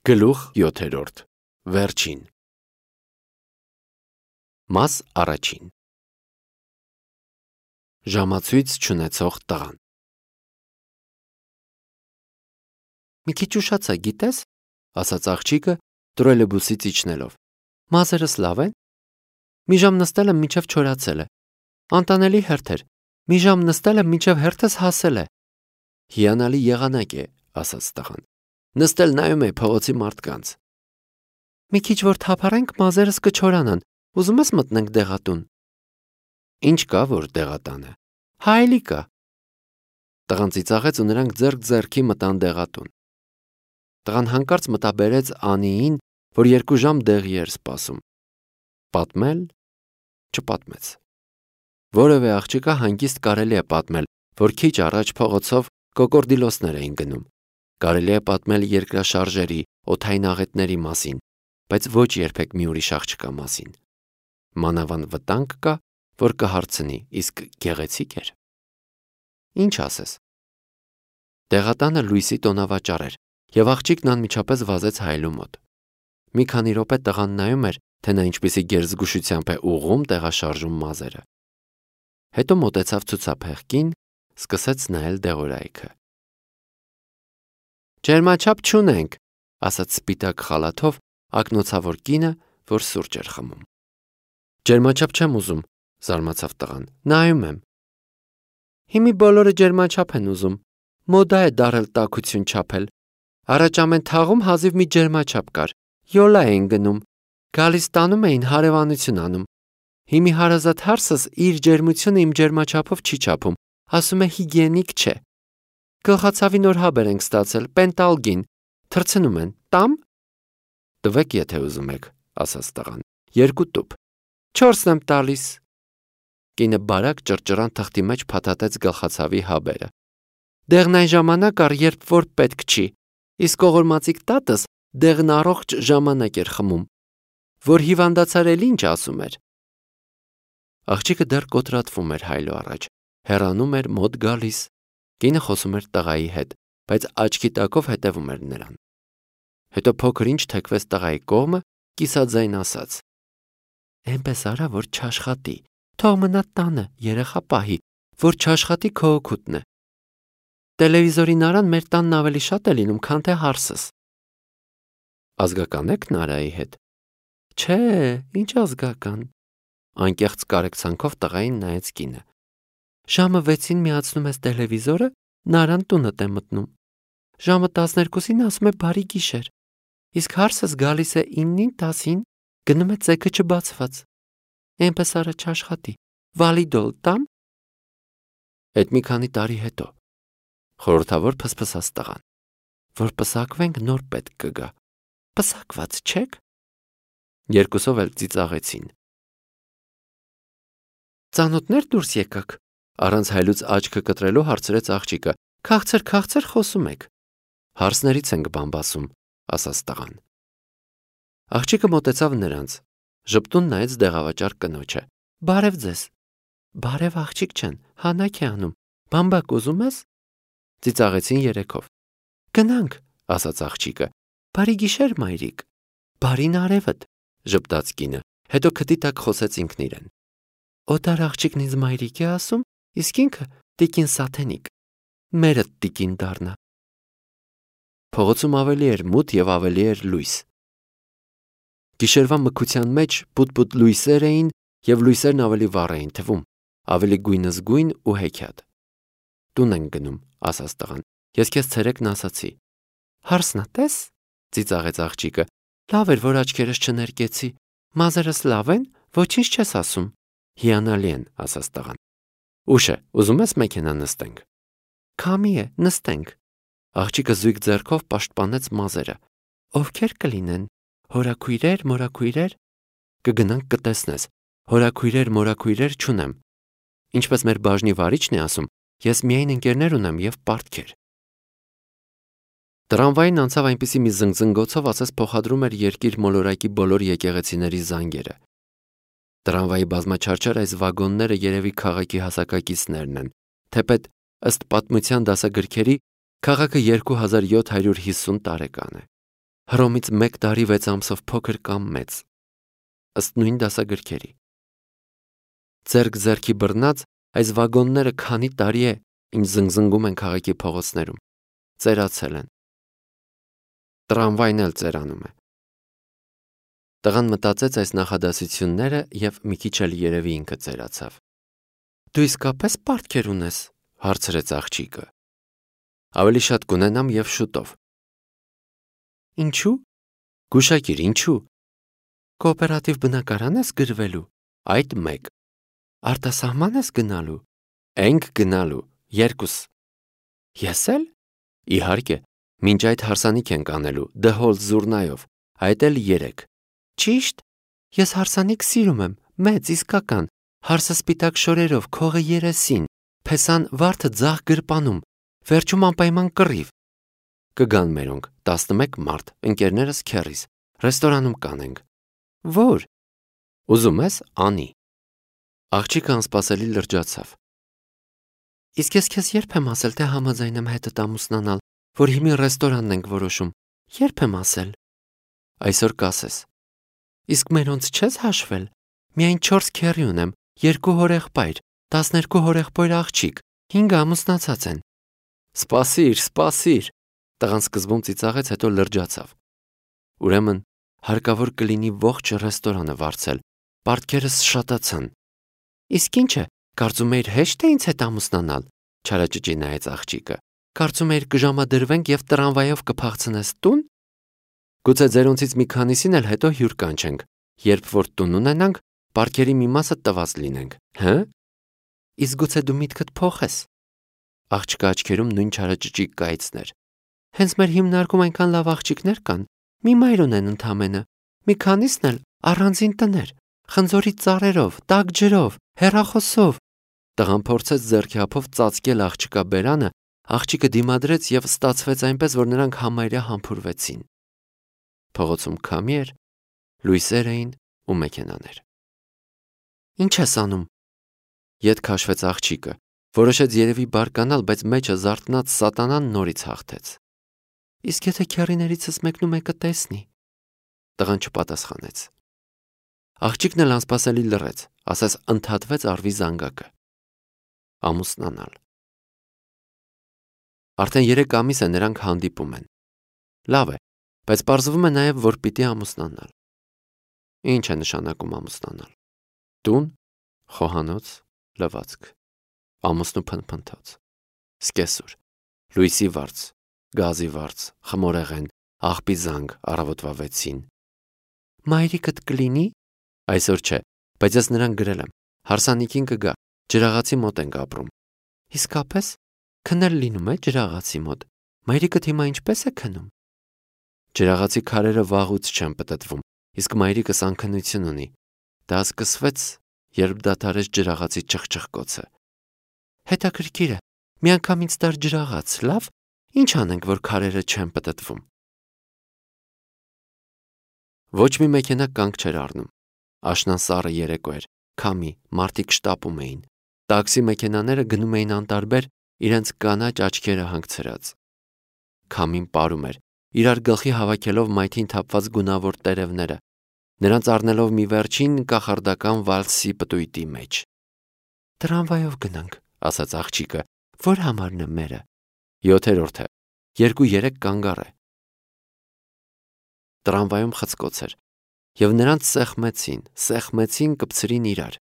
Գլուխ 7. Վերջին Մաս առաջին Ժամացույց չունեցող տղան Մի քիչ ուշացա, գիտես, ասաց աղջիկը տրոլեյբուսից իջնելով։ Մազերս լավ են։ Մի ժամ նստել եմ, մինչև չորացել է։ Անտանելի հերթ էր։ Մի ժամ նստել եմ, մինչև հերթս հասել է։ Հիանալի եղանակ է, ասաց տղան։ Նստել նայում է փողոցի մարդկանց։ Մի քիչ որ թափառենք, մազերս կչորանան։ Ուզում ես մտնենք դեղատուն։ Ինչ կա, որ դեղատանը։ Հայելի կա։ Տղան ծիծաղեց ու նրանք ձեռք ձեռքի մտան դեղատուն։ Տղան հանկարծ մտաբերեց Անիին, որ 2 ժամ դեղի էր սպասում։ Պատմել չպատմեց։ Որևէ աղջկա հանգիստ կարելի է պատմել, որ քիչ առաջ փողոցով կոկորդիլոսներ էին գնում։ Կարելի է պատմել երկրաշարժերի, օդային աղետների մասին, բայց ոչ երբեք մի ուրիշ աղջկա մասին։ Մանավանդ վտանգ կա, որ կհարցնի, իսկ գեղեցիկ էր։ Ինչ ասես։ Դեղատանը լույսի տոնավաճառ էր, եւ աղջիկն անմիջապես վազեց հայելու մոտ։ Մի քանի րոպե տղան նայում էր, թե նա ինչպիսի գերզգուշությամբ է ուղղում տեղաշարժում մազերը։ Հետո մոտեցավ ցուցափեղկին, սկսեց նայել դեղորայքը։ Ջերմաչափ չունենք, ասաց սպիտակ խալաթով ակնոցավոր կինը, որ սուրճ էր խմում։ Ջերմաչափ չեմ ուզում, զարմացավ տղան։ Նայում եմ։ Հիմի բոլորը ջերմաչափ են ուզում։ Մոդա է դարել տաքություն չափել։ Առաջ ամեն թաղում հազիվ մի ջերմաչափ կար։ Յոլա էին գնում։ Գալիս տանում էին հարևանություն անում։ Հիմի հարազատ հարսս իր ջերմությունը իմ ջերմաչափով չի չափում, ասում է հիգիենիկ չէ։ Գլխացավի նոր հաբեր ենք ստացել, պենտալգին, թռցնում են, տամ։ Տվեք, եթե ուզում եք, ասաց տղան։ 2 տուփ։ 4-ն եմ տալիս։ Կինը բարակ ճռճռան թղթի մեջ փաթաթեց գլխացավի հաբերը։ Դեղն այն ժամանակ առ երբ որ պետք չի, իսկ ողորմածիկ տատս դեղն առողջ ժամանակ էր խմում, որ հիվանդացար էլ ինչ ասում էր։ Աղջիկը դեռ կոտրատվում էր հայլու առաջ, հեռանում էր, մոտ գալիս։ Կինը խոսում էր տղայի հետ, բայց աչքի տակով հետևում էր նրան։ Հետո փոքր ինչ թեքվեց տղայի կողմը, կիսաձայն ասաց. Էնպես արա, որ չաշխատի, թող մնա տանը, երեխա պահի, որ չաշխատի քո օգուտն է։ Տելևիզորի նարան մեր տանն ավելի շատ է լինում, քան թե հարսս։ Ազգական եք Նարայի հետ։ Չէ, ինչ ազգական։ Անկեղծ կարեկցանքով տղային նայեց կինը։ Ժամը 6-ին միացնում ես տելևիզորը, Նարան տունդ է մտնում։ Ժամը 12-ին ասում է բարի գիշեր։ Իսկ հարսս գալիս է 9-ին, 10-ին, գնում է ծեքը չբացված։ Էնպես արա չաշխատի։ Վալիդոլ տամ։ Այդ մի քանի տարի հետո խորհրդավոր փսփսաց տղան, որ պսակվենք նոր պետք կգա։ Պսակված չեք։ Երկուսով էլ ծիծաղեցին։ Ծանոթներ դուրս եկաք, առանց հայլուց աչքը կտրելու հարցրեց աղջիկը։ Քաղցր խոսում եք։ Հարսներից ենք բամբասում, ասաց տղան։ Աղջիկը մոտեցավ նրանց, ժպտուն նայեց դեղավաճառ կնոջը։ Բարև ձեզ։ Բարև աղջիկ չեն, հանակ է անում։ Բամբակ ուզում ես։ Ծիծաղեցին երեքով։ Գնանք, ասաց աղջիկը։ Բարի գիշեր, մայրիկ։ Բարին արևդ, ժպտաց կինը, հետո քթի տակ խոսեց ինքն իրեն։ Օտար աղջիկն ինձ մայրիկ է ասում, իսկ ինքը տիկին Սաթենիկ։ Մերը տիկին դառնա։ Փողոցում ավելի էր մութ եւ ավելի էր լույս։ Գիշերվա մկության մեջ պուտ-պուտ լույսեր էին եւ լույսերն ավելի վառ էին թվում, ավելի գույնզգույն ու հեքիաթ։ Տուն ենք գնում, ասաց տղան։ Ես քեզ ցերեկն ասացի։ Հարսնա տես, ծիծաղեց աղջիկը։ Լավ էր, որ աչքերս չներկեցի։ Մազերս լավ են, ոչինչ չես ասում։ Հիանալի են, ասաց տղան։ Ուշ է, ուզում ես մեքենա նստենք։ Քամի է, նստենք։ Աղջիկը զույգ ձեռքով պաշտպանեց մազերը։ Ովքեր կլինեն։ Հորաքույրեր, մորաքույրեր։ Կգնանք կտեսնես։ Հորաքույրեր, մորաքույրեր չունեմ։ Ինչպես մեր բաժնի վարիչն է ասում, ես միայն ընկերներ ունեմ եւ պարտքեր։ Տրամվային անցավ այնպիսի մի զնգզնգոցով, ասես փոխադրում էր երկիր մոլորակի բոլոր եկեղեցիների զանգերը։ Տրամվայի բազմաչարչար այս վագոնները երևի քաղաքի հասակակիցներն են, թեպետ ըստ պատմության դասագրքերի քաղաքը 2750 տարեկան է։ Հռոմից 1 տարի 6 ամսով փոքր կամ մեծ, ըստ նույն դասագրքերի։ Ձեռք-ձեռքի բռնած այս վագոնները քանի տարի է, ինչ զնգզնգում են քաղաքի փողոցներում, ծերացել են։ Տրամվային էլ ծերանում է։ Տղան մտածեց այս նախադասությունները և մի քիչ էլ երևի ինքը ծերացավ։ Դու իսկապես պարտքեր ունես, հարցրեց աղջիկը։ Ավելի շատ կունենամ և շուտով։ Ինչու՞։ Գուշակիր, ինչու։ Կոոպերատիվ բնակարան ես գրվելու, այդ 1։ Արտասահման ես գնալու, ենք գնալու, 2։ Ես էլ։ Իհարկե, մինչ այդ հարսանիք ենք անելու, դհոլ զուռնայով, այդ էլ 3։ Ճիշտ։ Ես հարսանիք սիրում եմ, մեծ, իսկական, հարսը սպիտակ շորերով, քողը երեսին, փեսան վարդը ձախ գրպանում, վերջում անպայման կռիվ։ Կգան մերոնք 11 մարդ, ընկերներս քեռիս, ռեստորանում կանենք։ Ո՞ր։ Ուզում ես, անի։ Աղջիկը անսպասելի լրջացավ։ Իսկ ես քեզ երբ եմ ասել, թե համաձայն եմ հետդ ամուսնանալ, որ հիմի ռեստորանն ենք որոշում։ Երբ եմ ասել։ Այսօր կասես։ Իսկ մերոնց չես հաշվել։ Միայն 4 քեռի ունեմ, 2 հորեղբայր, 12 հորեղբայր աղջիկ, 5 ամուսնացած են։ Սպասիր։ Տղան սկզբում ծիծաղեց, հետո լրջացավ։ Ուրեմն հարկավոր կլինի ողջ ռեստորանը վարձել, պարտքերս շատացան։ Իսկ ինչ է, կարծում էիր հեշտ է ինձ հետ ամուսնանալ, չարաճճի նայեց աղջիկը։ Կարծում էիր կժամադրվենք և տրամվայով կփախցնես տուն։ Գուցե ձերոնցից մի քանիսին էլ հետո հյուր կանչենք, երբ որ տուն ունենանք, պարտքերի մի մասը տված լինենք, հը։ Իսկ գուցե դու միտքդ փոխես։ Աղջկա աչքերում նույն չարաճճի կայծն էր։ Հենց մեր հիմնարկում այնքան լավ աղջիկներ կան, մի մայր ունեն ընդամենը, մի քանիսն էլ առանձին տներ, խնձորի ծառերով, տաք ջրով, հեռախոսով։ Տղան փորձեց ձեռքի ափով ծածկել աղջկա բերանը, աղջիկը դիմադրեց և ստացվեց այնպես, որ նրանք համարյա համբուրվեցին։ Փողոցում քամի էր, լույսեր էին ու մեքենաներ։ Ինչ ես անում։ Ետ քաշվեց աղջիկը, որոշեց երևի բարկանալ, բայց մեջը զարթնած սատանան նորից հաղթեց։ Իսկ եթե քեռիներիցս մեկնումեկը տեսնի։ Տղան չպատասխանեց։ Աղջիկն էլ անսպասելի լռեց, ասես ընդհատվեց առվի զանգակը։ Ամուսնանալ։ Արդեն 3 ամիս է նրանք հանդիպում են։ Լավ է, բայց պարզվում է նաև, որ պիտի ամուսնանալ։ Ինչ է նշանակում ամուսնանալ։ Տուն, խոհանոց, լվացք, ամուսնու փնփնթոց, սկեսուր, լույսի վարձ, գազի վարձ, խմորեղեն, աղբի զանգ առավոտվա 6-ին։ Մայրիկդ կլինի։ Այսօր չէ, բայց ես նրան գրել եմ, հարսանիքին կգա, ջրաղացի մոտ ենք ապրում։ Իսկապես, քնել լինում է ջրաղացի մոտ, մայրիկդ հիմա ինչպես է քնում։ Ջրաղացի քարերը վաղուց չեն պտտվում, իսկ մայրիկս անքնություն ունի։ Դա սկսվեց, երբ դադարեց ջրաղացի չխչխկոցը։ Հետաքրքիր է, մի անգամ ինձ տար ջրաղաց, լավ։ Ինչ անենք, որ քարերը չեն պտտվում։ Ոչ մի մեքենա կանգ չէր առնում։ Աշնան սառը երեկո էր, քամի, մարդիկ շտապում էին։ Տաքսի մեքենաները գնում էին անտարբեր, իրենց կանաչ աչքերը հանգցրած։ Քամին պարում էր, իրար գլխի հավաքելով մայթին թափված գունավոր տերևները, նրանց առնելով մի վերջին կախարդական վալսի պտույտի մեջ։ Տրամվայով գնանք, ասաց աղջիկը, որ համարն է մերը։ 7-րդ է, 2-3 կանգառ է։ Տրամվայում խցկոց էր, և նրանց սեղմեցին կպցրին իրար։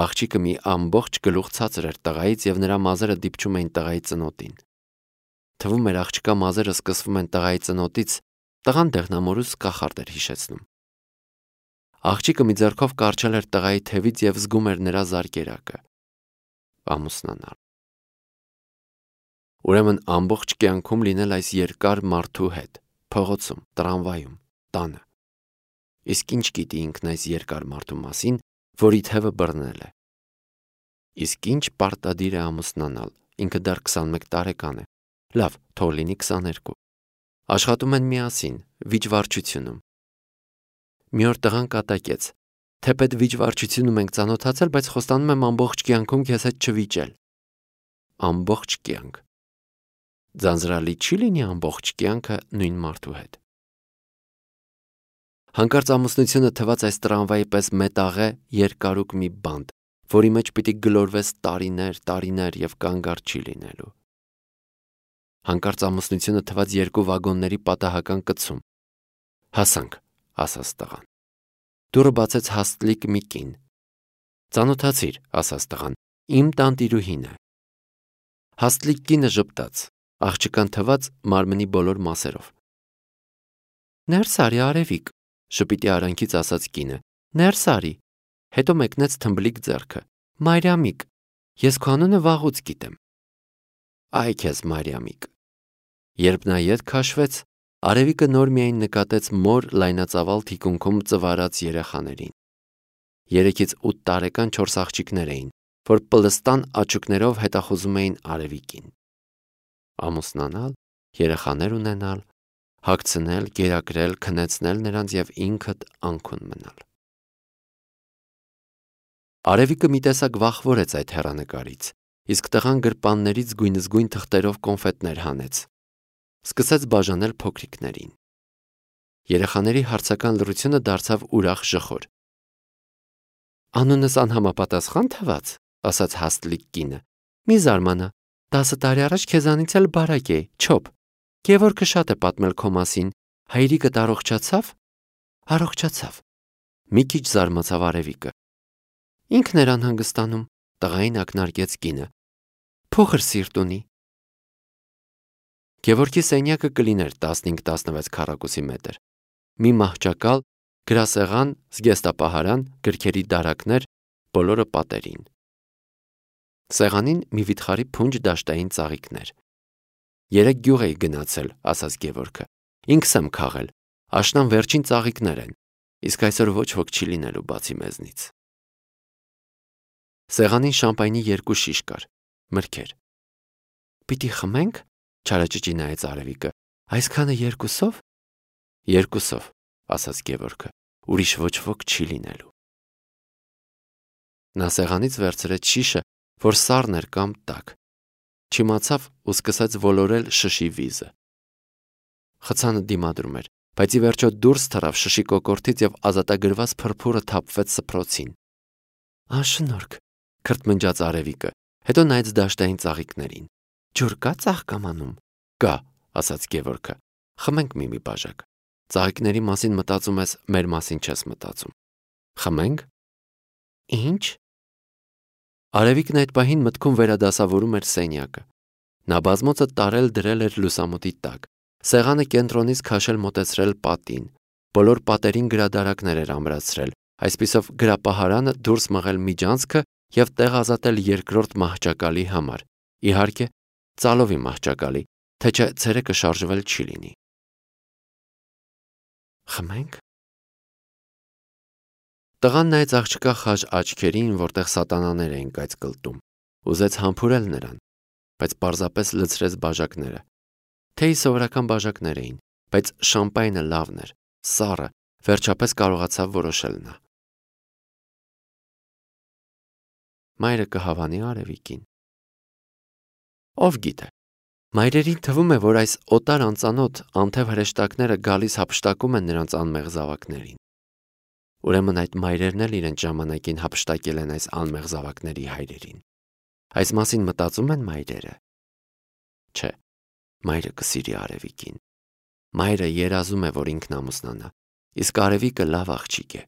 Աղջիկը մի ամբողջ գլուխ ցածր էր տղայից և նրա մազերը դիպչում էին տղայի ծնոտին։ Թվում էր աղջկա մազերը սկսվում են տղայի ծնոտից, տղան դեղնամորուս կախարդ էր հիշեցնում։ Աղջիկը մի ձեռքով կարճել էր տղայի թևից և զգում էր նրա զարկերակը։ Ամուսնանալ։ Ուրեմն ամբողջ կյանքում լինել այս երկար մարդու հետ, փողոցում, տրամվայում, տանը։ Իսկ ինչ գիտի ինքն այս երկար մարդու մասին, որի թևը բռնել է։ Իսկ ինչ պարտադիր է ամուսնանալ, ինքը դեռ 21 տարեկան է։ Լավ, թող լինի 22։ Աշխատում են միասին, վիճվարչությունում։ Մի օր տղան կատակեց. թեպետ վիճվարչությունում ենք ծանոթացել, բայց խոստանում եմ ամբողջ կյանքում քեզ հետ չվիճել։ Ամբողջ կյանք։ Ձանձրալի չի լինի ամբողջ կյանքը նույն մարդու հետ։ Հանկարծ ամուսնությունը թվաց այս տրամվայի պես մետաղե երկարուկ մի բանտ, որի մեջ պիտի գլորվես տարիներ եւ կանգառ չի լինելու։ Հանկարծ ամուսնությունը թվաց երկու վագոնների պատահական կցում։ Հասանք, ասաց տղան։ Դուռը բացեց հաստլիկ մի կին։ Ծանոթացիր, ասաց տղան, իմ տանտիրուհին է։ Հաստլիկ կինը ժպտաց, աղջկան թվաց մարմնի բոլոր մասերով։ Ներս արի, Արևիկ, շպիտի արանքից ասաց կինը, ներս արի, հետո մեկնեց թմբլիկ ձեռքը, Մարիամիկ, ես քո անունը վաղուց գիտեմ։ Այ քեզ Մարիամիկ։ Երբ նա ետ քաշվեց, Արևիկը նոր միայն նկատեց մոր լայնածավալ թիկունքում ծվարած երեխաներին։ 3-ից 8 տարեկան 4 աղջիկներ էին, որ պլստան աչուկներով հետախուզում էին Արևիկին։ Ամուսնանալ, երեխաներ ունենալ, հագցնել, գերակրել, քնեցնել նրանց եւ ինքդ անքուն մնալ։ Արևիկը մի տեսակ վախվորեց այդ հեռանկարից, իսկ տղան գրպաններից գույնզգույն թղթերով կոնֆետներ հանեց։ Սկսեց բաժանել փոքրիկներին։ Երեխաների հարցական լռությունը դարձավ ուրախ ժխոր։ Անունս անհամապատասխան թվաց, ասաց հաստլիկ կինը։ Մի զարմանա, 10 տարի առաջ քեզանից էլ բարակ էի, չոփ։ Գևորգը շատ է պատմել քո մասին, հայրիկդ առողջացավ։ Առողջացավ։ Մի քիչ զարմացավ Արևիկը։ Ինքն էր անհանգստանում, տղային ակնարկեց կինը։ Փոքր սիրտ ունի։ Գևորգի սենյակը կլիներ 15-16 քառակուսի մետր։ Մի մահճակալ, գրասեղան, զգեստապահարան, գրքերի դարակներ, բոլորը պատերին։ Սեղանին մի վիթխարի փունջ դաշտային ծաղիկներ։ 3 գյուղ էի գնացել, ասաց Գևորգը։ Ինքս եմ քաղել, աշնան վերջին ծաղիկներ են, իսկ այսօր ոչ ոք չի լինելու բացի մեզնից։ Սեղանին շամպայնի 2 շիշ կար, մրգեր։ Պիտի խմենք, չարաճճի նայեց Արևիկը, այսքանը 2-ով։ 2-ով, ասաց Գևորգը, ուրիշ ոչ ոք չի լինելու։ Նա սեղանից վերցրեց շիշը, որ սառն էր կամ տաք։ Չիմացավ ու սկսեց ոլորել շշի վիզը։ Խցանը դիմադրում էր, բայց ի վերջո դուրս թռավ շշի կոկորդից եւ ազատագրված փրփուրը թափվեց սփռոցին։ Անշնորհք, քրթմնջաց Արևիկը, հետո նայեց դաշտային ծաղիկներին։ Ջուր կա ծաղկամանում։ Կա, ասաց Գևորգը։ Խմենք մի բաժակ։ Ծաղիկների մասին մտածում ես, մեր մասին չես մտածում։ Խմենք։ Ինչ։ Արևիկն այդ պահին մտքում վերադասավորում էր սենյակը։ Նա բազմոցը տարել դրել էր լուսամուտի տակ։ Սեղանը կենտրոնից քաշել մոտեցրել պատին։ Բոլոր պատերին գրադարակներ էր ամրացրել, այսպիսով գրապահարանը դուրս մղել միջանցքը եւ տեղ ազատել երկրորդ մահճակալի համար։ Իհարկե, ծալովի մահճակալի, թե չէ ցերեկը շարժվել չի լինի։ Խմենք։ Տղան նայեց աղջկա խաժ աչքերին, որտեղ սատանաներ էին կայծկլտում։ Ուզեց համբուրել նրան, բայց պարզապես լցրեց բաժակները։ Թեյի սովորական բաժակներ էին, բայց շամպայնը լավն էր, սառը, վերջապես կարողացավ որոշել նա։ Մայրը կհավանի Արևիկին։ Ով գիտե։ Մայրերին թվում է, որ այս օտար անծանոթ անթև հրեշտակները գալիս հափշտակում են նրանց անմեղ զավակներին։ Ուրեմն այդ մայրերն էլ իրենց ժամանակին հափշտակել են այս անմեղ զավակների հայրերին։ Այս մասին մտածում են մայրերը։ Չէ, մայրը կսիրի Արևիկին։ Մայրը երազում է, որ ինքն ամուսնանա, իսկ Արևիկը լավ աղջիկ է,